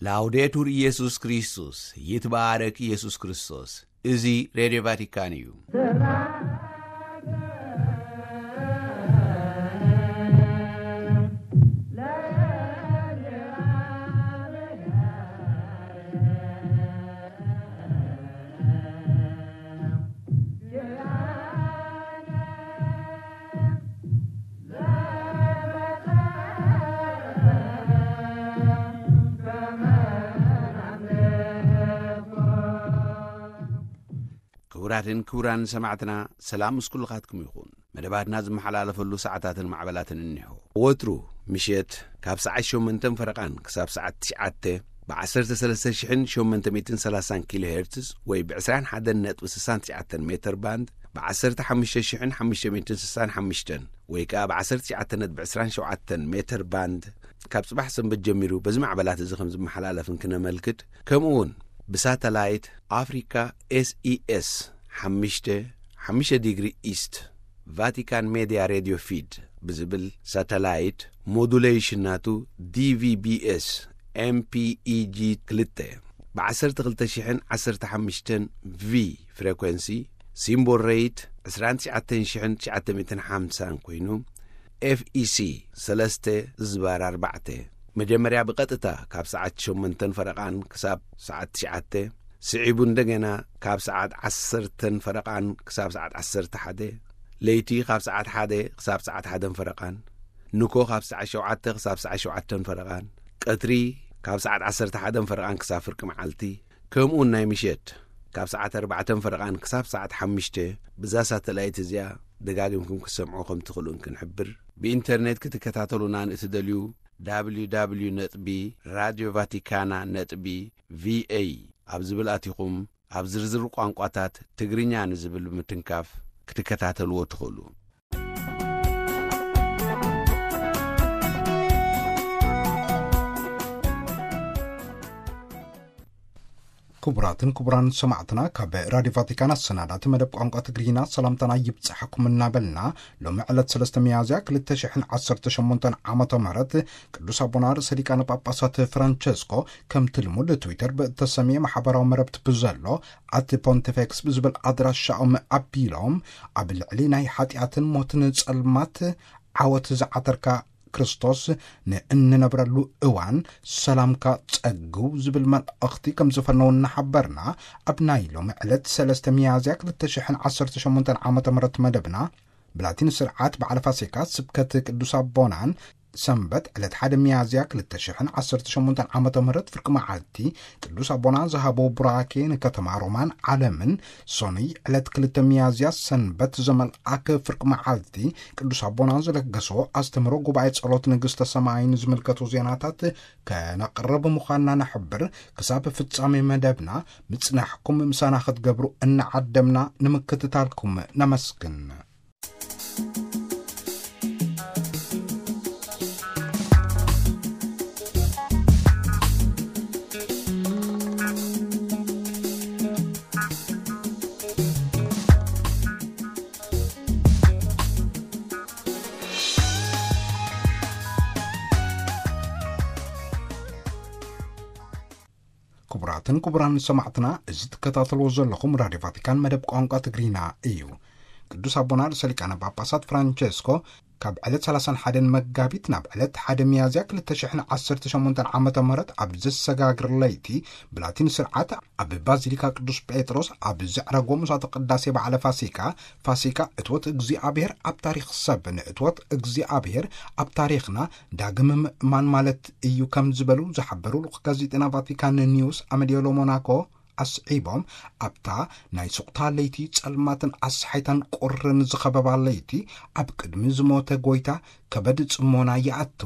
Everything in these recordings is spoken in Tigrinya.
ላውዴቱር ኢየሱስ ክርስቶስ፣ ይትባረክ ኢየሱስ ክርስቶስ። እዚ ሬድዮ ቫቲካን እዩ። ክቡራትን ክቡራን ሰማዕትና፣ ሰላም ምስ ኩልኻትኩም ይኹን። መደባትና ዝመሓላለፈሉ ሰዓታትን ማዕበላትን እኒሆ። ወትሩ ምሸት ካብ ሰዓት ሸሞንተን ፈረቓን ክሳብ ሰዓት ትሽዓተ ብ ዓሰርተ ሰለስተ ሽሕን ሸሞንተ ሚእትን ሰላሳን ኪሎ ሄርትዝ ወይ ብ ዕስራን ሓደን ነጥቢ ስሳን ትሽዓተን ሜተር ባንድ፣ ብ ዓሰርተ ሓሙሽተ ሽሕን ሓሙሽተ ሚእትን ስሳን ሓሙሽተን ወይ ከኣ ብ ዓሰርተ ትሽዓተ ነጥቢ ዕስራን ሸውዓተን ሜተር ባንድ፣ ካብ ጽባሕ ሰንበት ጀሚሩ በዚ ማዕበላት እዚ ከም ዝመሓላለፍን ክነመልክት፣ ከምኡ እውን ብሳተላይት ኣፍሪካ ኤስኢኤስ ሓሙሽተ፣ ሓሙሽተ ዲግሪ ኢስት፣ ቫቲካን ሜድያ ሬድዮ ፊድ ብዝብል ሳተላይት፣ ሞዱሌሽን ናቱ ዲቪቢኤስ ኤምፒኢጂ ክልተ፣ ብ ዓሰርተ ክልተ ሽሕን ዓሰርተ ሓሙሽተን ቪ ፍሬኮንሲ፣ ሲምቦል ሬት ዕስራን ትሽዓተን ሽሕን ትሽዓተ ሚእትን ሓምሳን ኮይኑ፣ ኤፍኢሲ ሰለስተ ዝባር ኣርባዕተ፣ መጀመርያ ብቐጥታ ካብ ሰዓት ሸሞንተን ፈረቓን ክሳብ ሰዓት ትሽዓተ፣ ስዒቡ እንደገና ካብ ሰዓት ዓሰርተን ፈረቓን ክሳብ ሰዓት ዓሰርተ ሓደ፣ ለይቲ ካብ ሰዓት ሓደ ክሳብ ሰዓት ሓደን ፈረቓን፣ ንኮ ካብ ሰዓት ሸውዓተ ክሳብ ሰዓት ሸውዓተን ፈረቓን፣ ቀትሪ ካብ ሰዓት ዓሰርተ ሓደን ፈረቓን ክሳብ ፍርቂ መዓልቲ፣ ከምኡውን ናይ ምሸት ካብ ሰዓት ኣርባዕተን ፈረቓን ክሳብ ሰዓት ሓሙሽተ፣ ብዛ ሳተላይት እዚኣ ደጋጊምኩም ክትሰምዑ ከም ትኽእሉን ክንሕብር። ብኢንተርኔት ክትከታተሉና ንእትደልዩ፣ www ነጥቢ ራድዮ ቫቲካና ነጥቢ ቪኤ ኣብ ዝብል ኣቲኹም፣ ኣብ ዝርዝር ቋንቋታት ትግርኛ ንዝብል ብምትንካፍ ክትከታተልዎ ትኽእሉ። ክቡራትን ክቡራን ሰማዕትና፣ ካብ ራድዮ ቫቲካን ኣሰናዳእቲ መደብ ቋንቋ ትግርኛ ሰላምታና ይብጻሕኩም እናበልና፣ ሎሚ ዕለት ሰለስተ ሚያዝያ ክልተ ሽሕን ዓሰርተ ሸሞንተን ዓመተ ምህረት ቅዱስ ኣቦና ርእሰ ሊቃነ ጳጳሳት ፍራንቸስኮ፣ ከምቲ ልሙድ ትዊተር ብእተሰምየ ማሕበራዊ መረብቲ ብዘሎ ኣቲ ፖንቲፌክስ ብዝብል ኣድራሻኦም ኣቢሎም፣ ኣብ ልዕሊ ናይ ሓጢኣትን ሞትን ጸልማት ዓወት ዝዓተርካ ክርስቶስ ንእንነብረሉ እዋን ሰላምካ ጸግው ዝብል መልእኽቲ ከም ዝፈነው እናሓበርና፣ ኣብ ናይ ሎሚ ዕለት ሰለስተ ሚያዝያ ክልተ ሽሕን ዓሰርተ ሸሞንተን ዓመተ ምህረት መደብና ብላቲን ስርዓት በዓለ ፋሲካ ስብከት ቅዱስ ኣቦናን፣ ሰንበት ዕለት ሓደ ሚያዝያ ክልተ ሽሕን ዓሰርተ ሸሞንተን ዓመተ ምህረት ፍርቂ መዓልቲ ቅዱስ ኣቦና ዝሃቦ ቡራኬ ንከተማ ሮማን ዓለምን፣ ሶኑይ ዕለት ክልተ ሚያዝያ ሰንበት ዘመልኣክ ፍርቂ መዓልቲ ቅዱስ ኣቦና ዝለገሶ ኣስተምህሮ ጉባኤ ጸሎት ንግስተ ሰማይን ዝምልከቱ ዜናታት ከነቕርብ ምዃንና ነሕብር። ክሳብ ፍጻሜ መደብና ምጽናሕኩም ምሳና ክትገብሩ እናዓደምና ንምክትታልኩም ነመስግን። ክቡራትን ክቡራን ሰማዕትና፣ እዚ ትከታተልዎ ዘለኹም ራድዮ ቫቲካን መደብ ቋንቋ ትግርኛ እዩ። ቅዱስ ኣቦና ርእሰ ሊቃነ ጳጳሳት ፍራንቸስኮ ካብ ዕለት ሰላሳን ሓደን መጋቢት ናብ ዕለት ሓደ ሚያዝያ ክልተ ሽሕን ዓሰርተ ሸሞንተን ዓመተ ምህረት ኣብ ዘሰጋግር ለይቲ ብላቲን ስርዓት ኣብ ባዚሊካ ቅዱስ ጴጥሮስ ኣብ ዘዕረጎ ምሳተ ቅዳሴ በዓለ ፋሲካ፣ ፋሲካ እትወት እግዚኣብሔር ኣብ ታሪኽ ሰብ ንእትወት እግዚኣብሔር ኣብ ታሪኽና ዳግም ምእማን ማለት እዩ ከም ዝበሉ ዝሓበሩ ልኡኽ ጋዜጠና ቫቲካን ኒውስ ኣመዲዮሎ ሞናኮ ኣስዒቦም፣ ኣብታ ናይ ሱቕታ ለይቲ ጸልማትን ኣስሓይታን ቁርን ዝኸበባ ለይቲ ኣብ ቅድሚ ዝሞተ ጎይታ ከበድ ጽሞና ይኣቱ።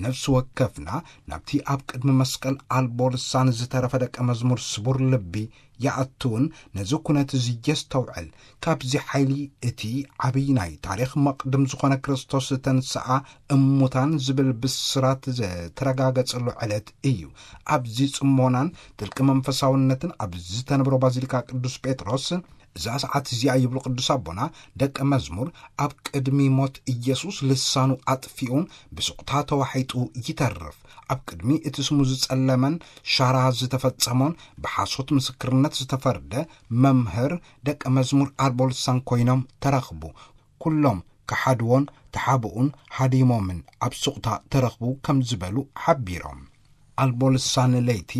ነፍሲ ወከፍና ናብቲ ኣብ ቅድሚ መስቀል ኣልቦ ልሳን ዝተረፈ ደቀ መዝሙር ስቡር ልቢ ይኣቱን ነዚ ኩነት እዚ የስተውዕል። ካብዚ ሓይሊ እቲ ዓብዪ ናይ ታሪኽ መቕድም ዝኾነ ክርስቶስ ዝተንስኣ እሙታን ዝብል ብስራት ዝተረጋገጸሉ ዕለት እዩ። ኣብዚ ጽሞናን ጥልቂ መንፈሳውነትን ኣብ ዝተነብሮ ባዚሊካ ቅዱስ ጴጥሮስ እዛ ሰዓት እዚኣ፣ ይብሉ ቅዱስ ኣቦና፣ ደቀ መዝሙር ኣብ ቅድሚ ሞት ኢየሱስ ልሳኑ ኣጥፊኡን ብስቕታ ተዋሒጡ ይተርፍ። ኣብ ቅድሚ እቲ ስሙ ዝጸለመን ሻራ ዝተፈጸሞን ብሓሶት ምስክርነት ዝተፈርደ መምህር፣ ደቀ መዝሙር ኣልቦ ልሳን ኮይኖም ተረኽቡ። ኩሎም ከሓድዎን ተሓብኡን ሃዲሞምን ኣብ ሱቕታ ተረኽቡ ከም ዝበሉ ሓቢሮም። ኣልቦ ልሳን ለይቲ፣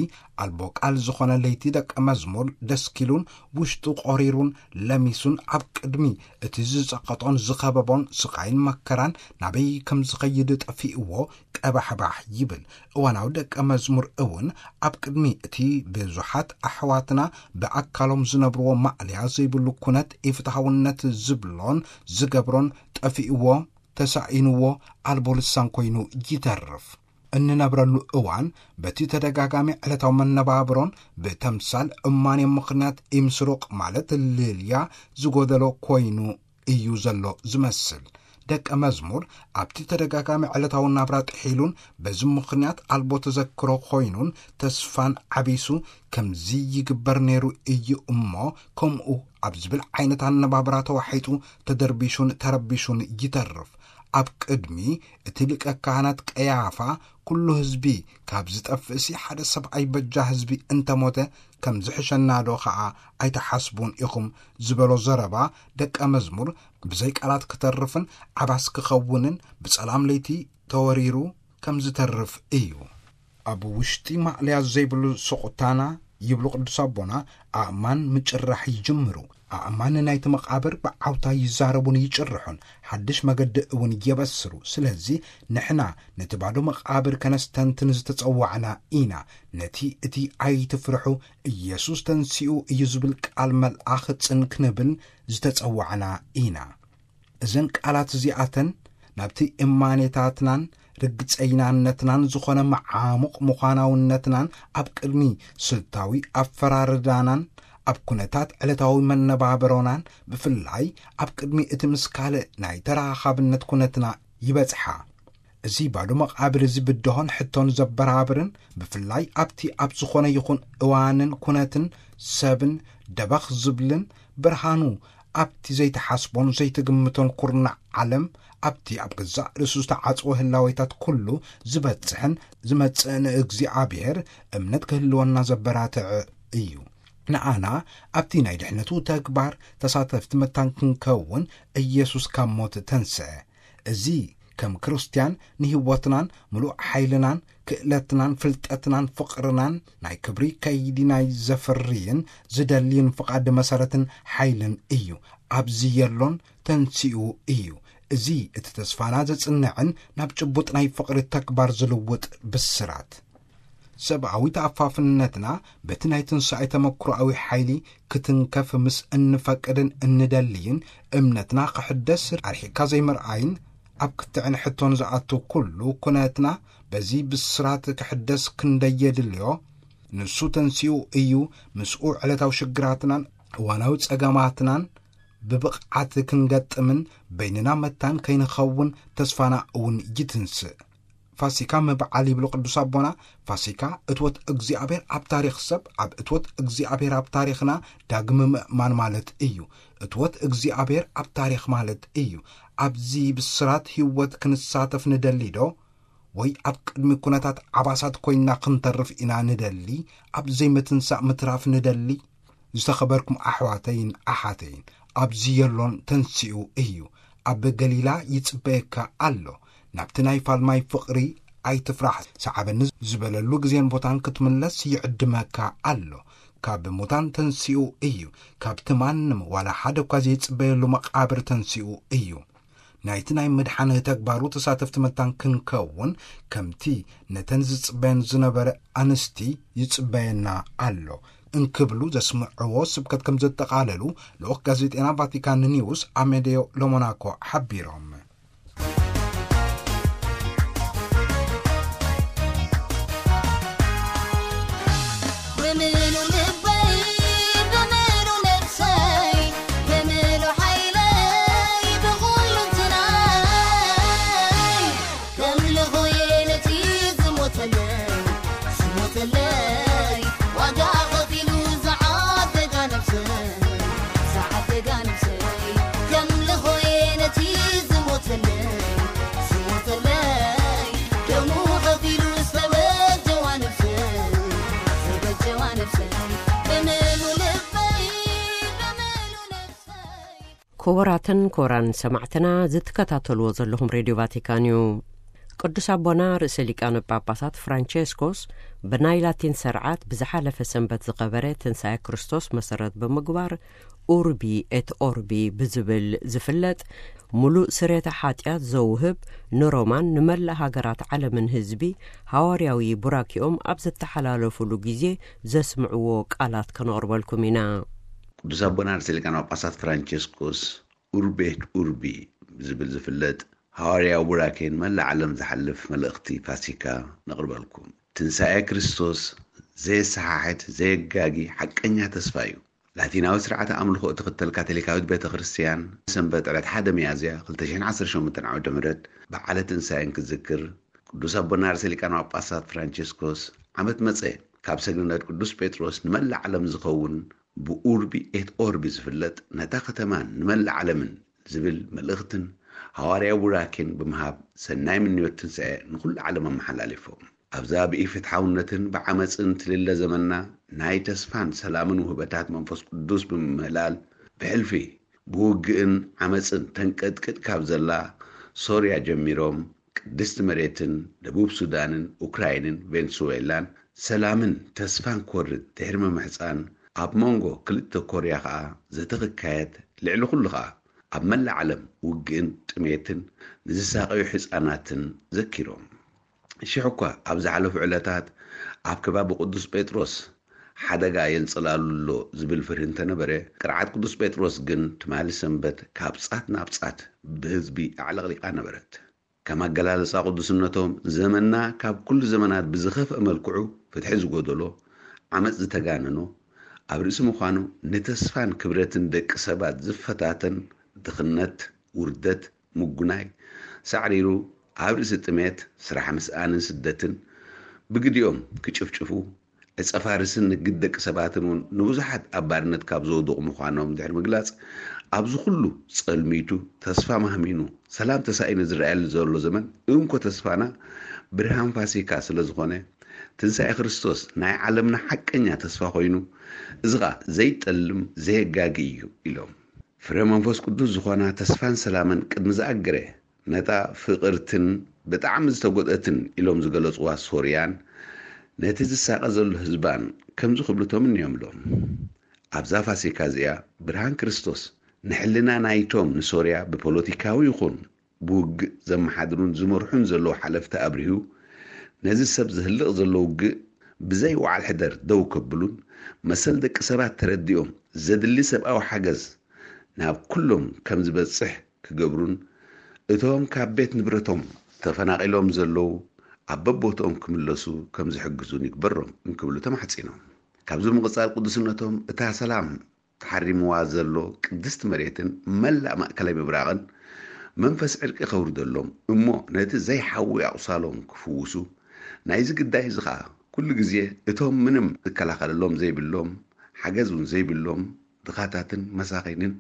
ኣልቦ ቃል ዝኾነ ለይቲ ደቀ መዝሙር ደስኪሉን ውሽጡ ቆሪሩን ለሚሱን ኣብ ቅድሚ እቲ ዝጸቐጦን ዝኸበቦን ስቓይን መከራን ናበይ ከም ዝኸይድ ጠፊእዎ ቀባሕባሕ ይብል። እዋናዊ ደቀ መዝሙር እውን ኣብ ቅድሚ እቲ ብዙሓት ኣሕዋትና ብኣካሎም ዝነብርዎ ማዕልያ ዘይብሉ ኩነት ኢፍትሃውነት ዝብሎን ዝገብሮን ጠፊእዎ፣ ተሳኢንዎ፣ ኣልቦ ልሳን ኮይኑ ይተርፍ። እንነብረሉ እዋን በቲ ተደጋጋሚ ዕለታዊ መነባብሮን ብተምሳል እማኔ ምኽንያት ኢምስሩቕ ማለት ልልያ ዝጎደሎ ኮይኑ እዩ ዘሎ ዝመስል። ደቀ መዝሙር ኣብቲ ተደጋጋሚ ዕለታዊ ናብራ ጥሒሉን በዚ ምኽንያት ኣልቦ ተዘክሮ ኮይኑን ተስፋን ዓቢሱ፣ ከምዚ ይግበር ነይሩ እዩ እሞ ከምኡ ኣብ ዝብል ዓይነት ኣነባብራ ተዋሒጡ ተደርቢሹን ተረቢሹን ይተርፍ። ኣብ ቅድሚ እቲ ሊቀ ካህናት ቀያፋ ኩሉ ህዝቢ ካብ ዝጠፍእሲ ሓደ ሰብኣይ በጃ ህዝቢ እንተሞተ ከም ዝሕሸና ዶ ኸዓ ኣይትሓስቡን ኢኹም ዝበሎ ዘረባ ደቀ መዝሙር ብዘይ ቃላት ክተርፍን ዓባስ ክኸውንን ብጸላም ለይቲ ተወሪሩ ከም ዝተርፍ እዩ። ኣብ ውሽጢ ማእለያ ዘይብሉ ስቑታና፣ ይብሉ ቅዱስ ኣቦና፣ ኣእማን ምጭራሕ ይጅምሩ። ኣእማን ናይቲ መቓብር ብዓውታ ይዛረቡን ይጭርሑን፣ ሓድሽ መገዲ እውን የበስሩ። ስለዚ ንሕና ነቲ ባዶ መቓብር ከነስተንትን ዝተጸዋዕና ኢና። ነቲ እቲ ኣይትፍርሑ፣ ኢየሱስ ተንሲኡ እዩ ዝብል ቃል መልኣኽ ጽን ክንብል ዝተጸዋዕና ኢና። እዘን ቃላት እዚኣተን ናብቲ እማኔታትናን ርግጸይናነትናን ዝኾነ መዓሙቕ ምዃናውነትናን ኣብ ቅድሚ ስልታዊ ኣፈራርዳናን ኣብ ኩነታት ዕለታዊ መነባብሮናን ብፍላይ ኣብ ቅድሚ እቲ ምስ ካልእ ናይ ተራኻብነት ኩነትና ይበጽሓ። እዚ ባዶ መቓብር እዚ ብድሆን ሕቶን ዘበራብርን ብፍላይ ኣብቲ ኣብ ዝኾነ ይኹን እዋንን ኩነትን ሰብን ደበኽ ዝብልን ብርሃኑ ኣብቲ ዘይትሓስቦን ዘይትግምቶን ኩርናዕ ዓለም ኣብቲ ኣብ ገዛእ ርእሱ ዝተዓጽወ ህላዌታት ኩሉ ዝበጽሕን ዝመጽእን እግዚኣብሔር እምነት ክህልወና ዘበራትዕ እዩ። ንኣና ኣብቲ ናይ ድሕነቱ ተግባር ተሳተፍቲ መታን ክንከውን ኢየሱስ ካብ ሞት ተንስአ። እዚ ከም ክርስትያን ንህይወትናን ምሉእ ሓይልናን ክእለትናን ፍልጠትናን ፍቕርናን ናይ ክብሪ ከይዲ ናይ ዘፍርይን ዝደልይን ፍቓድ መሰረትን ሓይልን እዩ። ኣብዚ የሎን ተንሲኡ እዩ። እዚ እቲ ተስፋና ዘጽንዕን ናብ ጭቡጥ ናይ ፍቕሪ ተግባር ዝልውጥ ብስራት። ሰብኣዊ ተኣፋፍነትና በቲ ናይ ትንሳኤ ተመክሮኣዊ ሓይሊ ክትንከፍ ምስ እንፈቅድን እንደልይን እምነትና ክሕደስ ኣርሒካ ዘይምርኣይን ኣብ ክትዕን ሕቶን ዝኣቱ ኩሉ ኩነትና በዚ ብስራት ክሕደስ ክንደይ የድልዮ። ንሱ ተንሲኡ እዩ። ምስኡ ዕለታዊ ሽግራትናን እዋናዊ ጸገማትናን ብብቕዓት ክንገጥምን በይንና መታን ከይንኸውን ተስፋና እውን ይትንስእ። ፋሲካ ምብዓል ይብሉ ቅዱስ ኣቦና፣ ፋሲካ እትወት እግዚኣብሔር ኣብ ታሪኽ ሰብ፣ ኣብ እትወት እግዚኣብሔር ኣብ ታሪኽና ዳግም ምእማን ማለት እዩ። እትወት እግዚኣብሔር ኣብ ታሪኽ ማለት እዩ። ኣብዚ ብስራት ህይወት ክንሳተፍ ንደሊ ዶ? ወይ ኣብ ቅድሚ ኩነታት ዓባሳት ኮይንና ክንተርፍ ኢና ንደሊ? ኣብ ዘይምትንሳእ ምትራፍ ንደሊ? ዝተኸበርኩም ኣሕዋተይን ኣሓተይን፣ ኣብዚ የሎን ተንሲኡ እዩ። ኣብ ገሊላ ይጽበየካ ኣሎ። ናብቲ ናይ ፋልማይ ፍቕሪ ኣይትፍራሕ፣ ሰዓበኒ ዝበለሉ ግዜን ቦታን ክትምለስ ይዕድመካ ኣሎ። ካብ ሙታን ተንሲኡ እዩ። ካብቲ ማንም ዋላ ሓደ እኳ ዘይጽበየሉ መቓብር ተንሲኡ እዩ። ናይቲ ናይ ምድሓን ተግባሩ ተሳተፍቲ መታን ክንከውን፣ ከምቲ ነተን ዝጽበየን ዝነበረ ኣንስቲ ይጽበየና ኣሎ እንክብሉ ዘስምዕዎ ስብከት ከም ዘጠቓለሉ ልኡኽ ጋዜጤና ቫቲካን ኒውስ ኣሜዴዮ ሎሞናኮ ሓቢሮም። ብምሉ ልበይ፣ ብምሉ ነፍሰይ፣ ብምሉ ሓይለይ፣ ብኹሉ እንትናይ ከምልኾ እየ ነቲ ዝሞተለይ፣ ዝሞተለይ፣ ዋጋ ከፊሉ ዝዓደጋ ነፍሰይ፣ ዝዓ- ክቡራትን ክቡራን ሰማዕትና፣ ዝትከታተልዎ ዘለኹም ሬድዮ ቫቲካን እዩ። ቅዱስ ኣቦና ርእሰ ሊቃነ ጳጳሳት ፍራንቸስኮስ ብናይ ላቲን ሰርዓት ብዝሓለፈ ሰንበት ዝኸበረ ትንሳኤ ክርስቶስ መሰረት ብምግባር፣ ኡርቢ ኤት ኦርቢ ብዝብል ዝፍለጥ፣ ምሉእ ስርየተ ሓጢኣት ዘውህብ፣ ንሮማን ንመላእ ሃገራት ዓለምን ህዝቢ ሃዋርያዊ ቡራኪኦም ኣብ ዝተሓላለፉሉ ግዜ ዘስምዕዎ ቃላት ከነቕርበልኩም ኢና። ቅዱስ ኣቦና ርእሰ ሊቃነ ጳጳሳት ፍራንቸስኮስ ኡርቢ ኤት ኡርቢ ብዝብል ዝፍለጥ ሃዋርያዊ ቡራኬ ንመላእ ዓለም ዝሓልፍ መልእኽቲ ፋሲካ ነቕርበልኩም። ትንሳኤ ክርስቶስ ዘየሰሓሕት፣ ዘየጋጊ ሓቀኛ ተስፋ እዩ። ላቲናዊ ስርዓተ ኣምልኾ እትኽተል ካቶሊካዊት ቤተ ክርስቲያን፣ ሰንበት ዕለት ሓደ ሚያዝያ ክልተ ሽሕን ዓሰርተ ሸሞንተን ዓመተ ምህረት በዓለ ትንሳኤን ክትዝክር፣ ቅዱስ ኣቦና ርእሰ ሊቃነ ጳጳሳት ፍራንቸስኮስ፣ ዓመት መጸ ካብ ሰግነት ቅዱስ ጴጥሮስ ንመላእ ዓለም ዝኸውን ብኡርቢ ኤት ኦርቢ ዝፍለጥ፣ ነታ ከተማን ንመላእ ዓለምን ዝብል መልእኽትን ሃዋርያዊ ቡራኬን ብምሃብ፣ ሰናይ ምንዮት ትንሳኤ ንኹሉ ዓለም ኣመሓላሊፎም። ኣብዛ ብኢፍትሓውነትን ብዓመጽን ትልለ ዘመንና፣ ናይ ተስፋን ሰላምን ውህበታት መንፈስ ቅዱስ ብምምህላል፣ ብሕልፊ ብውግእን ዓመጽን ተንቀጥቅጥ ካብ ዘላ ሶርያ ጀሚሮም፣ ቅድስቲ መሬትን ደቡብ ሱዳንን ኡክራይንን ቬንሱዌላን ሰላምን ተስፋን ክወርድ ድሕሪ ምምሕጻን፣ ኣብ መንጎ ክልተ ኮርያ ከኣ ዘተ ክካየድ፣ ልዕሊ ኩሉ ከኣ ኣብ መላእ ዓለም ውግእን ጥሜትን ንዝሳቐዩ ህጻናትን ዘኪሮም። ሽሕ እኳ ኣብ ዝሓለፉ ዕለታት ኣብ ከባቢ ቅዱስ ጴጥሮስ ሓደጋ የንጸላሉ ኣሎ ዝብል ፍርሂ እንተነበረ፣ ቅርዓት ቅዱስ ጴጥሮስ ግን ትማሊ ሰንበት ካብ ጻት ናብ ጻት ብህዝቢ ኣዕለቕሊቓ ነበረት። ከም ኣገላልጻ ቅዱስነቶም፣ ዘመንና ካብ ኩሉ ዘመናት ብዝኸፍአ መልክዑ ፍትሒ ዝጎደሎ፣ ዓመጽ ዝተጋነኖ፣ ኣብ ርእሲ ምዃኑ ንተስፋን ክብረትን ደቂ ሰባት ዝፈታተን ድኽነት፣ ውርደት፣ ምጉናይ ሳዕሪሩ፣ ኣብ ርእሲ ጥሜት፣ ስራሕ ምስኣንን ስደትን ብግዲኦም ክጭፍጭፉ፣ ዕጸ ፋርስን ንግድ ደቂ ሰባትን እውን ንብዙሓት ኣብ ባርነት ካብ ዘውድቑ ምዃኖም ድሕሪ ምግላጽ፣ ኣብዚ ኩሉ ጸልሚቱ፣ ተስፋ ማህሚኑ፣ ሰላም ተሳኢኑ ዝረኣየሉ ዘሎ ዘመን፣ እንኮ ተስፋና ብርሃን ፋሲካ ስለ ዝኾነ፣ ትንሳኤ ክርስቶስ ናይ ዓለምና ሓቀኛ ተስፋ ኮይኑ፣ እዚ ኸኣ ዘይጠልም፣ ዘየጋጊ እዩ ኢሎም። ፍረ መንፈስ ቅዱስ ዝኾና ተስፋን ሰላምን ቅድሚ ዝኣገረ፣ ነታ ፍቕርትን ብጣዕሚ ዝተጎድአትን ኢሎም ዝገለጽዋ ሶርያን ነቲ ዝሳቐ ዘሎ ህዝባን ከምዚ ክብሉ ተምንዮምሎም። ኣብዛ ፋሲካ እዚኣ ብርሃን ክርስቶስ ንሕልና ናይቶም ንሶርያ ብፖለቲካዊ ይኹን ብውግእ ዘመሓድሩን ዝመርሑን ዘለዉ ሓለፍቲ ኣብሪሁ፣ ነዚ ሰብ ዝህልቕ ዘሎ ውግእ ብዘይ ወዓል ሕደር ደው ከብሉን መሰል ደቂ ሰባት ተረዲኦም ዘድሊ ሰብኣዊ ሓገዝ ናብ ኩሎም ከም ዝበጽሕ ክገብሩን እቶም ካብ ቤት ንብረቶም ተፈናቒሎም ዘለዉ ኣብ በቦትኦም ክምለሱ ከም ዝሕግዙን ይግበሮም እንክብሉ ተማሕጺኖም። ካብዚ ምቕጻል ቅዱስነቶም እታ ሰላም ተሓሪምዋ ዘሎ ቅድስቲ መሬትን መላእ ማእከላይ ምብራቕን መንፈስ ዕርቂ ከውርደሎም እሞ ነቲ ዘይሓዊ ኣቑሳሎም ክፍውሱ ናይዚ ግዳይ እዚ ኸኣ ኩሉ ግዜ እቶም ምንም ዝከላኸለሎም ዘይብሎም ሓገዝ እውን ዘይብሎም ድኻታትን መሳኺንን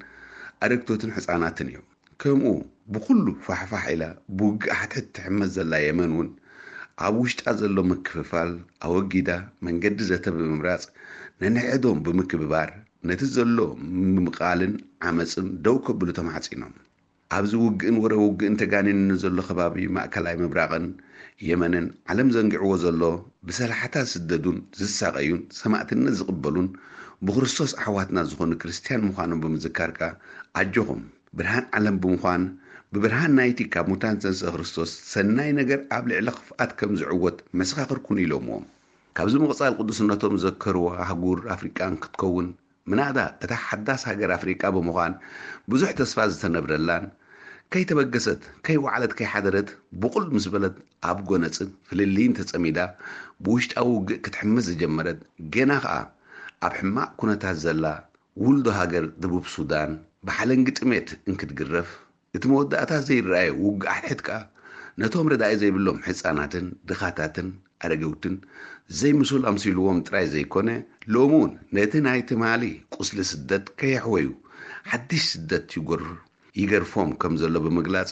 ኣረግቶትን ሕፃናትን እዮም። ከምኡ ብኹሉ ፋሕፋሕ ኢላ ብውግእ ሓትሕት ትሕመስ ዘላ የመን እውን ኣብ ውሽጣ ዘሎ ምክፍፋል ኣወጊዳ መንገዲ ዘተ ብምምራፅ ነንሕዶም ብምክብባር ነቲ ዘሎ ምምቓልን ዓመፅን ደው ከብሉ ተማሕፂኖም። ኣብዚ ውግእን ወረ ውግእን ተጋኒኑ ንዘሎ ከባቢ ማእከላይ ምብራቕን የመንን ዓለም ዘንጊዕዎ ዘሎ ብሰላሕታ ዝስደዱን ዝሳቐዩን ሰማእትነት ዝቕበሉን ብክርስቶስ ኣሕዋትና ዝኾኑ ክርስትያን ምዃኖም ብምዝካር ከኣ ኣጆኹም ብርሃን ዓለም ብምዃን ብብርሃን ናይቲ ካብ ሙታን ዝተንስአ ክርስቶስ ሰናይ ነገር ኣብ ልዕሊ ክፍኣት ከም ዝዕወት መሰኻኽር ኩኑ ኢሎምዎም። ካብዚ ምቕጻል ቅዱስነቶም ዘከርዋ ኣህጉር ኣፍሪቃን ክትከውን ምናዳ እታ ሓዳስ ሃገር ኣፍሪቃ ብምዃን ብዙሕ ተስፋ ዝተነብረላን ከይተበገሰት ከይወዓለት ከይሓደረት ብቑል ምስ በለት ኣብ ጎነጽን ፍልልይን ተጸሚዳ ብውሽጣዊ ውግእ ክትሕምስ ዝጀመረት ገና ኸኣ ኣብ ሕማቕ ኩነታት ዘላ ውልዶ ሃገር ደቡብ ሱዳን ብሓለንጊ ጥሜት እንክትግረፍ እቲ መወዳእታ ዘይረኣየ ውግእ ኣሕድሕድ ከኣ ነቶም ረዳኢ ዘይብሎም ሕጻናትን ድኻታትን ኣረገውትን ዘይምሱል ኣምሲልዎም ጥራይ ዘይኮነ ሎሚ እውን ነቲ ናይ ትማሊ ቁስሊ ስደት ከየሕወዩ ሓድሽ ስደት ይጎር ይገርፎም ከም ዘሎ ብምግላጽ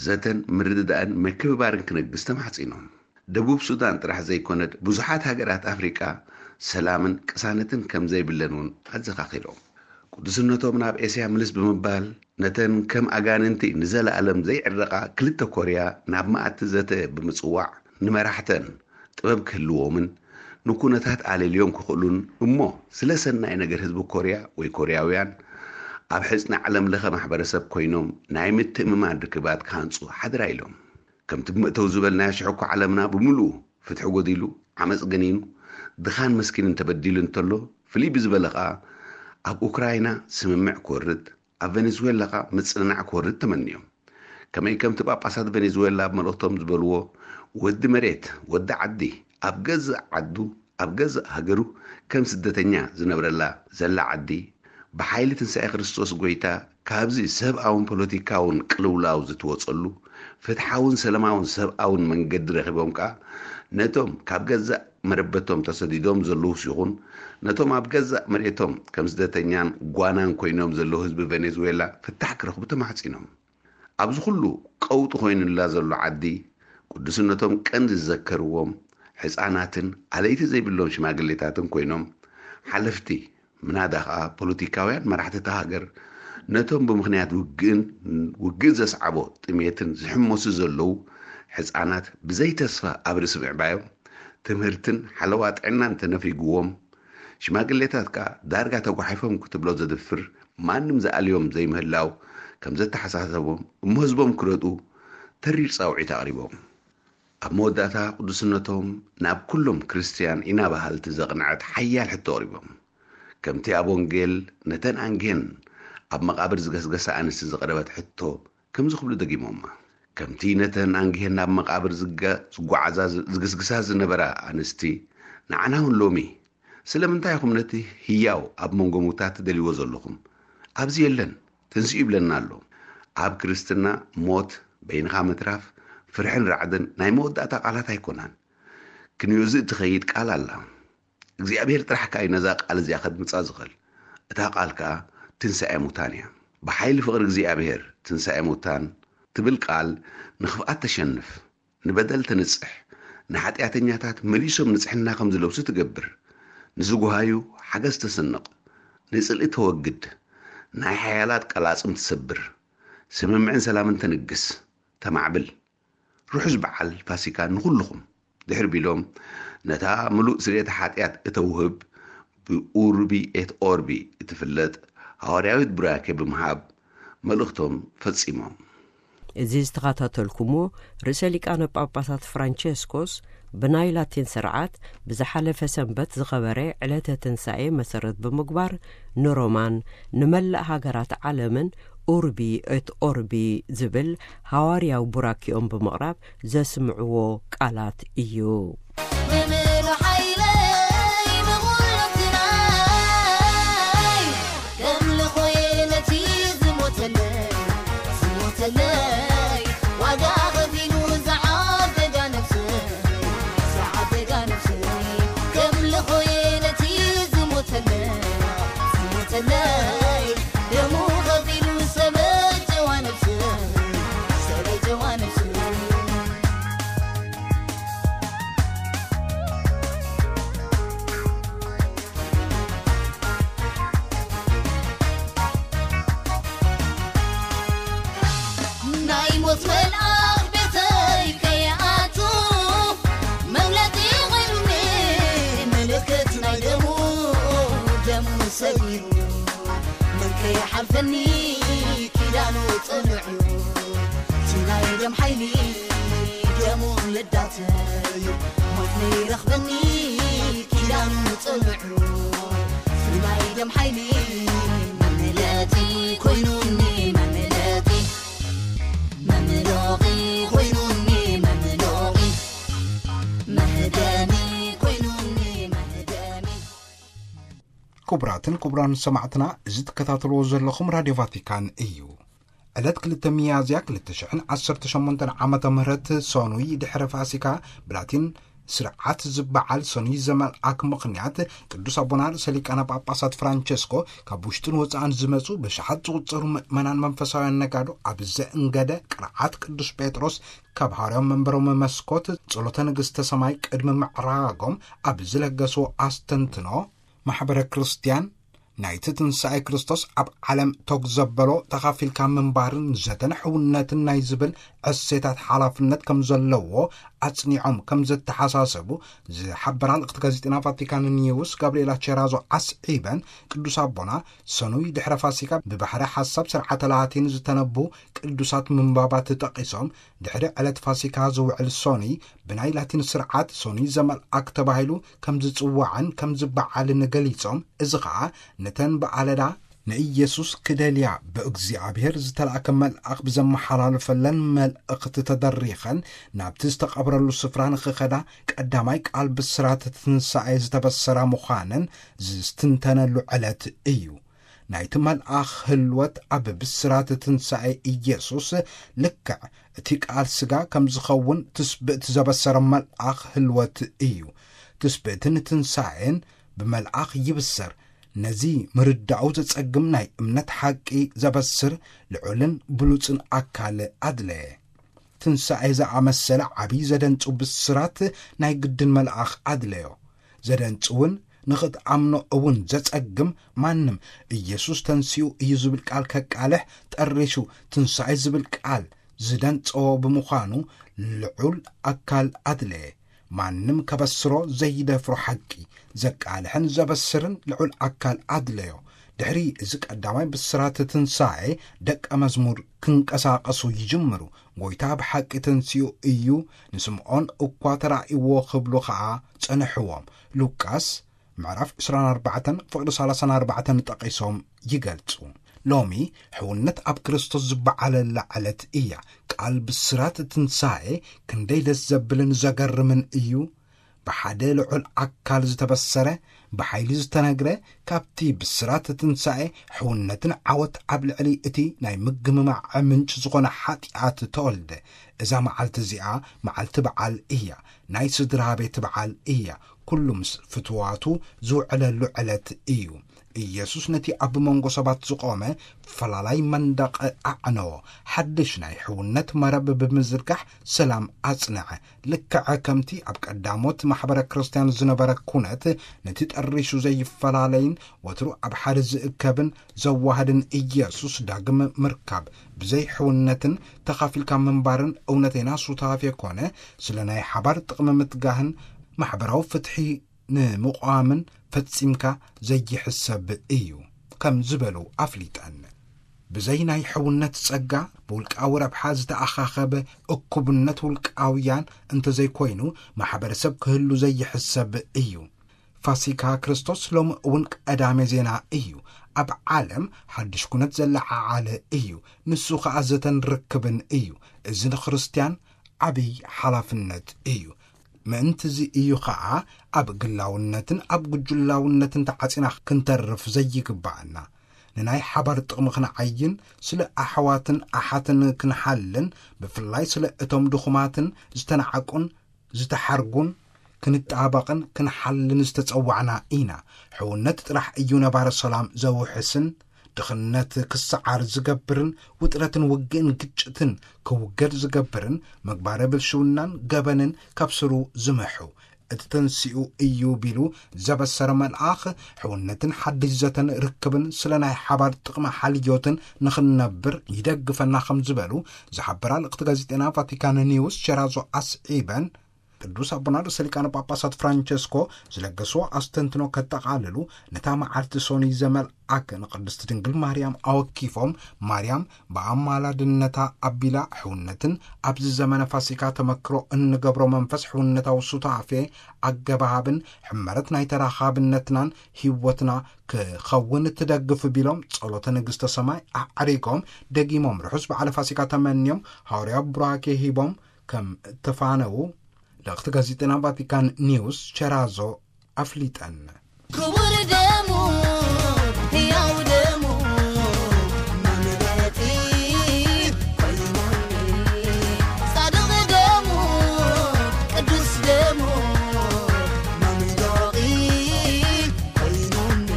ዘተን ምርድዳእን ምክብባርን ክነግስ ተማሕጺኖም። ደቡብ ሱዳን ጥራሕ ዘይኮነት ብዙሓት ሃገራት ኣፍሪቃ ሰላምን ቅሳነትን ከም ዘይብለን እውን ኣዘኻኺሮም። ቅዱስነቶም ናብ ኤስያ ምልስ ብምባል፣ ነተን ከም ኣጋንንቲ ንዘለኣለም ዘይዕረቓ ክልተ ኮርያ ናብ መኣዲ ዘተ ብምጽዋዕ፣ ንመራሕተን ጥበብ ክህልዎምን ንኩነታት ኣለልዮም ክኽእሉን፣ እሞ ስለ ሰናይ ነገር ህዝቢ ኮርያ ወይ ኮርያውያን ኣብ ሕጽኒ ዓለም ለኸ ማሕበረሰብ ኮይኖም ናይ ምትእምማን ርክባት ክሃንጹ ሓደራ ኢሎም። ከምቲ ብመእተዊ ዝበልናዮ፣ ሽሕኮ ዓለምና ብምሉኡ ፍትሒ ጎዲሉ፣ ዓመጽ ገኒኑ፣ ድኻን መስኪንን ተበዲሉ እንተሎ፣ ፍልይ ብዝበለ ኸኣ ኣብ ኡክራይና ስምምዕ ክወርድ፣ ኣብ ቬኔዙዌላ ኸኣ ምጽንናዕ ክወርድ ተመንዮም። ከመይ ከምቲ ጳጳሳት ቬኔዙዌላ ኣብ መልእኽቶም ዝበልዎ፣ ወዲ መሬት፣ ወዲ ዓዲ፣ ኣብ ገዛእ ዓዱ፣ ኣብ ገዛእ ሃገሩ ከም ስደተኛ ዝነብረላ ዘላ ዓዲ፣ ብሓይሊ ትንሳኤ ክርስቶስ ጐይታ ካብዚ ሰብኣውን ፖለቲካውን ቅልውላው ዝትወጸሉ፣ ፍትሓውን ሰላማውን ሰብኣውን መንገዲ ረኺቦም ከኣ፣ ነቶም ካብ ገዛእ መረበቶም ተሰዲዶም ዘለዉስ ይኹን፣ ነቶም ኣብ ገዛእ መሬቶም ከም ስደተኛን ጓናን ኮይኖም ዘለዉ ህዝቢ ቬኔዙዌላ ፍታሕ ክረኽቡ ተማሕጺኖም። ኣብዚ ኩሉ ቀውጢ ኮይኑላ ዘሎ ዓዲ፣ ቅዱስነቶም ቀንዲ ዝዘከርዎም፣ ሕጻናትን ኣለይቲ ዘይብሎም ሽማግሌታትን ኮይኖም፣ ሓለፍቲ፣ ምናዳ ኸኣ ፖለቲካውያን መራሕቲ እታ ሃገር፣ ነቶም ብምኽንያት ውግእን ውግእ ዘስዓቦ ጥሜትን ዝሕመሱ ዘለዉ ሕጻናት ብዘይተስፋ ኣብ ርእሲ ምዕባዮም፣ ትምህርትን ሓለዋ ጥዕናን ተነፊግዎም፣ ሽማግሌታት ከኣ ዳርጋ ተጓሒፎም ክትብሎ ዘድፍር ማንም ዝኣልዮም ዘይምህላው ከም ዘተሓሳሰቦም እሞ ህዝቦም ክረድኡ ተሪር ጻውዒት ኣቕሪቦም። ኣብ መወዳእታ ቅዱስነቶም ናብ ኩሎም ክርስትያን ኢና በሃልቲ ዘቕንዐት ሓያል ሕቶ ኣቕሪቦም። ከምቲ ኣብ ወንጌል ነተን ኣንግሄን ኣብ መቓብር ዝገስገሳ ኣንስቲ ዝቐረበት ሕቶ ከምዚ ክብሉ ደጊሞማ። ከምቲ ነተን ኣንግሄን ናብ መቓብር ዝገ-፣ ዝጓዓዛ ዝ-፣ ዝግስግሳ ዝነበራ ኣንስቲ፣ ንዓና እውን ሎሚ ስለምንታይ ኢኹም ነቲ ህያው ኣብ መንጎ ሙታት ትደልይዎ ዘለኹም? ኣብዚ የለን፣ ትንስኡ ይብለና ኣሎ። ኣብ ክርስትና ሞት፣ በይንኻ ምትራፍ፣ ፍርሕን ራዕድን ናይ መወዳእታ ቃላት ኣይኮናን። ክንዮዚ እትኸይድ ቃል ኣላ። እግዚኣብሔር ጥራሕ ከኣ እዩ ነዛ ቃል እዚኣ ከድምጻ ዝኽእል። እታ ቃል ከኣ ትንሳኤ ሙታን እያ። ብሓይሊ ፍቕሪ እግዚኣብሔር ትንሳኤ ሙታን ትብል ቃል ንኽፍኣት ተሸንፍ፣ ንበደል ተንጽሕ፣ ንሓጢኣተኛታት መሊሶም ንጽሕና ከም ዝለብሱ ትገብር፣ ንዝጉሃዩ ሓገዝ ተስንቕ፣ ንጽልኢ ተወግድ፣ ናይ ሓያላት ቀላጽም ትሰብር፣ ስምምዕን ሰላምን ተንግስ፣ ተማዕብል። ርሑስ በዓል ፋሲካ ንኹልኹም። ድሕሪ ቢሎም ነታ ምሉእ ስርየተ ሓጢኣት እተውህብ ብኡርቢ ኤት ኦርቢ እትፍለጥ ሃዋርያዊት ቡራኬ ብምሃብ መልእኽቶም ፈጺሞም። እዚ ዝተኸታተልኩሞ ርእሰ ሊቃነ ጳጳሳት ፍራንቸስኮስ ብናይ ላቲን ስርዓት ብዝሓለፈ ሰንበት ዝኸበረ ዕለተ ትንሳኤ መሰረት ብምግባር ንሮማን ንመላእ ሃገራት ዓለምን ኡርቢ ኤት ኦርቢ ዝብል ሃዋርያዊ ቡራኪኦም ብምቕራብ ዘስምዕዎ ቃላት እዩ። መምህር ሓይለይ መቑሎትናይ ከምልኾየ ነቲ ዝሞተለይ ዝሞተለይ ዋጋ ኸፊሉ ዝዓደጋ ነፍሰይ ዝዓደጋ ነፍሰይ ከምልኾየ ነቲ ዝሞተለይ ዝሞተለይ ደሙ ኸፊሉ ሰበጀዋ ነፍሰይ ሰበጀዋ ነፍሰይ ናይ ሞት መልኣኽ ቤተይ ከይኣቱ መግለጺ ኾይኑኒ ምልክት ናይ ደሙ ደሙ ሰጊሩ መን ከይሓልፈኒ ኪዳኑ ጽንዑ እቲ ናይ ደም ሓይሊ ደሙ ልዳተይ ሞት ነይረኽበኒ ኪዳኑ ጽንዑ እቲ ናይ ደም ሓይሊ መምለጢ ኮይኑኒ መምለጢ መምሎቒ ኮይኑኒ መምሎቒ መህደሚ ኮይኑኒ መህደሚ ክቡራትን ክቡራን ሰማዕትና፣ እዚ ትከታተልዎ ዘለኹም ራድዮ ቫቲካን እዩ። ዕለት ክልተ ሚያዝያ ክልተ ሽሕን ዓሰርተ ሸሞንተን ዓመተ ምህረት ሰኑይ ድሕሪ ፋሲካ ብላቲን ስርዓት ዝበዓል ሰኑይ ዘመልኣክ ምኽንያት ቅዱስ ኣቦና ርእሰ ሊቃነ ጳጳሳት ፍራንቸስኮ ካብ ውሽጥን ወፃእን ዝመፁ ብሽሓት ዝቑፀሩ ምእመናን መንፈሳውያን ነጋዶ ኣብ ዘእንገደ ቅርዓት ቅዱስ ጴጥሮስ ካብ ሃዋርያዊ መንበሮም መስኮት ጸሎተ ንግሥተ ሰማይ ቅድሚ ምዕራጎም ኣብ ዝለገስዎ ኣስተንትኖ ማሕበረ ክርስቲያን ናይቲ ትንሳኤ ክርስቶስ ኣብ ዓለም ተግ ዘበሎ ተኻፊልካ ምንባርን ዘተን ሕውነትን ናይ ዝብል ዕሴታት ሓላፍነት ከም ዘለዎ ኣጽኒዖም ከም ዘተሓሳሰቡ ዝሓበራ ልእኽቲ ጋዜጠና ቫቲካን ኒውስ ጋብርኤላ ቸራዞ ኣስዒበን፣ ቅዱስ ኣቦና ሰኑይ ድሕረ ፋሲካ ብባሕሪ ሓሳብ ስርዓተ ላቲን ዝተነቡ ቅዱሳት ምንባባት ጠቒሶም፣ ድሕሪ ዕለት ፋሲካ ዝውዕል ሶኒ ብናይ ላቲን ስርዓት ሶኒ ዘመልኣክ ተባሂሉ ከም ዝጽዋዕን ከም ዝበዓልን ገሊጾም፣ እዚ ኸኣ ነተን ብኣለዳ ንኢየሱስ ክደልያ ብእግዚኣብሔር ዝተላእከ መልኣኽ ብዘመሓላለፈለን መልእኽቲ ተደሪኸን ናብቲ ዝተቐብረሉ ስፍራ ንኽኸዳ ቀዳማይ ቃል ብስራት ትንሳኤ ዝተበሰራ ምዃነን ዝስትንተነሉ ዕለት እዩ። ናይቲ መልኣኽ ህልወት ኣብ ብስራት ትንሳኤ ኢየሱስ ልክዕ እቲ ቃል ስጋ ከም ዝኸውን ትስብእቲ ዘበሰረ መልኣኽ ህልወት እዩ። ትስብእትን ትንሳኤን ብመልኣኽ ይብሰር። ነዚ ምርዳኡ ዘጸግም ናይ እምነት ሓቂ ዘበስር ልዑልን ብሉጽን ኣካል ኣድለየ። ትንሳኤ ዝኣመሰለ ዓብዪ ዘደንጹ ብስራት ናይ ግድን መልኣኽ ኣድለዮ። ዘደንጽውን ንኽትኣምኖ እውን ዘጸግም ማንም ኢየሱስ ተንሲኡ እዩ ዝብል ቃል ከቃልሕ ጠሪሹ ትንሳኤ ዝብል ቃል ዝደንጸዎ ብምዃኑ ልዑል ኣካል ኣድለየ። ማንም ከበስሮ ዘይደፍሮ ሓቂ ዘቃልሕን ዘበስርን ልዑል ኣካል ኣድለዮ። ድሕሪ እዚ ቀዳማይ ብስራት ትንሳኤ ደቀ መዝሙር ክንቀሳቐሱ ይጅምሩ። ጎይታ ብሓቂ ተንሲኡ እዩ፣ ንስምዖን እኳ ተራእይዎ ክብሉ ኸኣ ጸንሕዎም። ሉቃስ ምዕራፍ ዕስራን ኣርባዕተን ፍቕዲ ሰላሳን ኣርባዕተን ጠቒሶም ይገልጹ። ሎሚ ሕውነት ኣብ ክርስቶስ ዝበዓለላ ዕለት እያ። ቃል ብስራት ትንሳኤ ክንደይ ደስ ዘብልን ዘገርምን እዩ። ብሓደ ልዑል ኣካል ዝተበሰረ፣ ብሓይሊ ዝተነግረ፣ ካብቲ ብስራት ትንሳኤ ሕውነትን ዓወት ኣብ ልዕሊ እቲ ናይ ምግምማዕ ምንጭ ዝኾነ ሓጢኣት ተወልደ። እዛ መዓልቲ እዚኣ መዓልቲ በዓል እያ። ናይ ስድራ ቤት በዓል እያ። ኩሉ ምስ ፍትዋቱ ዝውዕለሉ ዕለት እዩ። ኢየሱስ ነቲ ኣብ መንጎ ሰባት ዝቖመ ፈላላይ መንደቕ ኣዕነዎ። ሓድሽ ናይ ሕውነት መረብ ብምዝርጋሕ ሰላም ኣጽንዐ። ልክዕ ከምቲ ኣብ ቀዳሞት ማሕበረ ክርስቲያን ዝነበረ ኩነት፣ ነቲ ጠሪሹ ዘይፈላለይን ወትሩ ኣብ ሓደ ዝእከብን ዘዋህድን ኢየሱስ ዳግም ምርካብ፣ ብዘይ ሕውነትን ተኻፊልካ ምንባርን እውነተይና ሱታፌ ኮነ፣ ስለ ናይ ሓባር ጥቕሚ ምትጋህን ማሕበራዊ ፍትሒ ንምቋምን ፈጺምካ ዘይሕሰብ እዩ ከም ዝበሉ ኣፍሊጠን። ብዘይ ናይ ሕውነት ጸጋ፣ ብውልቃዊ ረብሓ ዝተኣኻኸበ እኩብነት ውልቃውያን እንተዘይኮይኑ፣ ማሕበረሰብ ክህሉ ዘይሕሰብ እዩ። ፋሲካ ክርስቶስ ሎሚ እውን ቀዳሜ ዜና እዩ። ኣብ ዓለም ሓድሽ ኩነት ዘለዓዓለ እዩ። ንሱ ኸኣ ዘተን ርክብን እዩ። እዚ ንክርስትያን ዓብይ ሓላፍነት እዩ። ምእንቲ እዚ እዩ ኸኣ ኣብ ግላውነትን ኣብ ጉጅላውነትን ተዓጺና ክንተርፍ ዘይግባኣና። ንናይ ሓባር ጥቕሚ ክንዓይን፣ ስለ ኣሕዋትን ኣሓትን ክንሓልን፣ ብፍላይ ስለ እቶም ድኹማትን ዝተናዕቁን ዝተሓርጉን ክንጣበቕን ክንሓልን ዝተጸዋዕና ኢና። ሕውነት ጥራሕ እዩ ነባሪ ሰላም ዘውሕስን፣ ድኽነት ክሰዓር ዝገብርን፣ ውጥረትን ውግእን ግጭትን ክውገድ ዝገብርን፣ ምግባረ ብልሽውናን ገበንን ካብ ስሩ ዝምሑ። እቲ ተንሲኡ እዩ ቢሉ ዘበሰረ መልኣኽ፣ ሕውነትን ሓድሽ ዘተን ርክብን ስለ ናይ ሓባር ጥቕሚ ሓልዮትን ንኽንነብር ይደግፈና ከም ዝበሉ ዝሓበራ ልእኽቲ ጋዜጠና ቫቲካን ኒውስ ቸራዞ ኣስዒበን፣ ቅዱስ ኣቦና ርእሰ ሊቃነ ጳጳሳት ፍራንቸስኮ ዝለገስዎ ኣስተንትኖ ከጠቓልሉ፣ ነታ መዓልቲ ሶኒ ዘመልኣክ ንቅድስት ድንግል ማርያም ኣወኪፎም፣ ማርያም ብኣማላድነታ ኣቢላ ሕውነትን ኣብዚ ዘመነ ፋሲካ ተመክሮ እንገብሮ መንፈስ ሕውነታዊ ሱታፌ ኣገባብን ሕመረት ናይ ተራኻብነትናን ህይወትና ክኸውን ትደግፍ ቢሎም ጸሎተ ንግስተ ሰማይ ኣዕሪጎም፣ ደጊሞም ርሑስ በዓለ ፋሲካ ተመንዮም፣ ሃዋርያዊ ቡራኬ ሂቦም ከም እተፋነዉ ልእኽቲ ጋዜጠና ቫቲካን ኒውስ ቸራዞ ኣፍሊጠን። ክቡር ደሙ፣ ህያው ደሙ፣ መምረጺ ኮይኑኒ። ጻድቕ ደሙ፣ ቅዱስ ደሙ፣ መምረጺ ኮይኑኒ።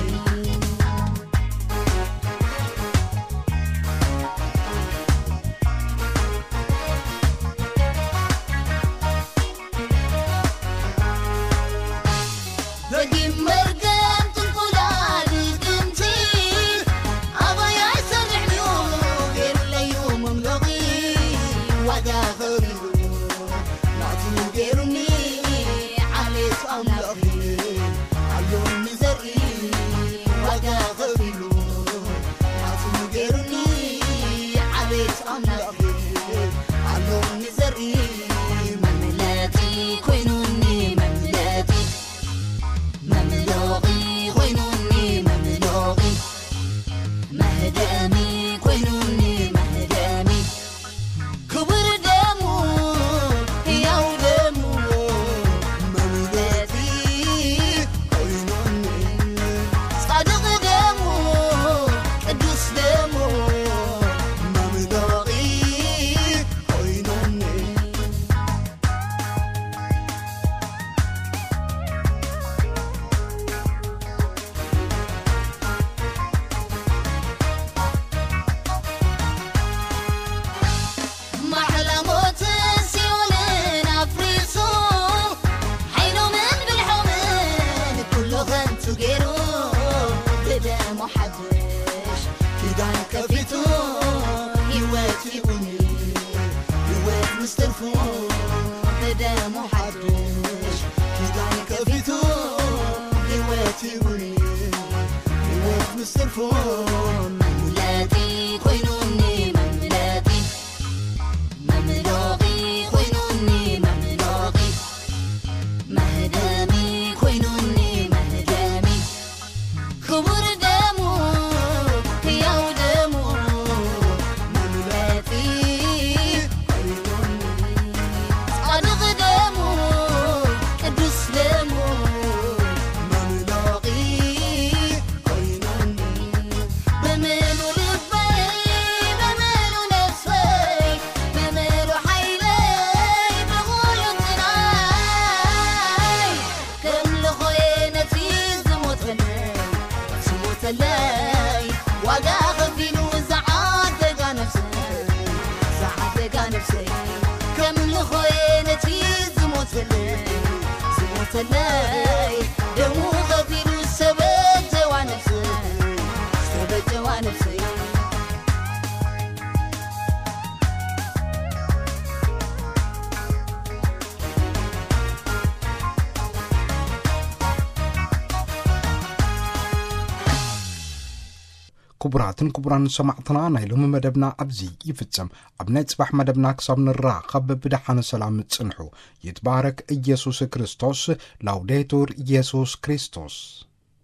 ደጊም መርገም ጥንቆ ብደሙ ሓድሽ ኪዳን ከፊቱ፣ ህይወት ይሁን ህይወት ምስ ትርፉ፣ መምለጢ ኮይኑኒ መምለጢ፣ መምሎቒ ኮይኑኒ መምሎቒ፣ መህደሚ ኮይኑኒ መህደሚ። ክቡር ደሙ፣ ህያው ደሙ፣ መምለጢ ኮይኑኒ። ጻድቕ ደሙ፣ ቅዱስ ደሙ፣ መምሎቒ ኮይኑኒ። ብምሉ ልበይ፣ ብምሉ ነፍሰይ፣ ብምሉ ሓይለይ፣ ብምሉ ጥራይ። ከምልኾየ ነቲ ዝሞተለይ፣ ዝሞተለይ፣ ዋጋ ኸፊሉ ዝዓደጋ ነፍሰይ፣ ዝዓደጋ ነፍሰይ። ከምልኾየ ነቲ ዝሞተለይ፣ ዝሞተለይ፣ ደሙ ኸፊሉ ዝተበጀዋ ነፍሰይ፣ ዝተበጀዋ ነፍሰይ። ክቡራትን ክቡራን ሰማዕትና፣ ናይ ሎሚ መደብና ኣብዚ ይፍጸም። ኣብ ናይ ጽባሕ መደብና ክሳብ ንራኸብ ብደሓን ሰላም ጽንሑ። ይትባረክ ኢየሱስ ክርስቶስ። ላውዴቱር ኢየሱስ ክርስቶስ።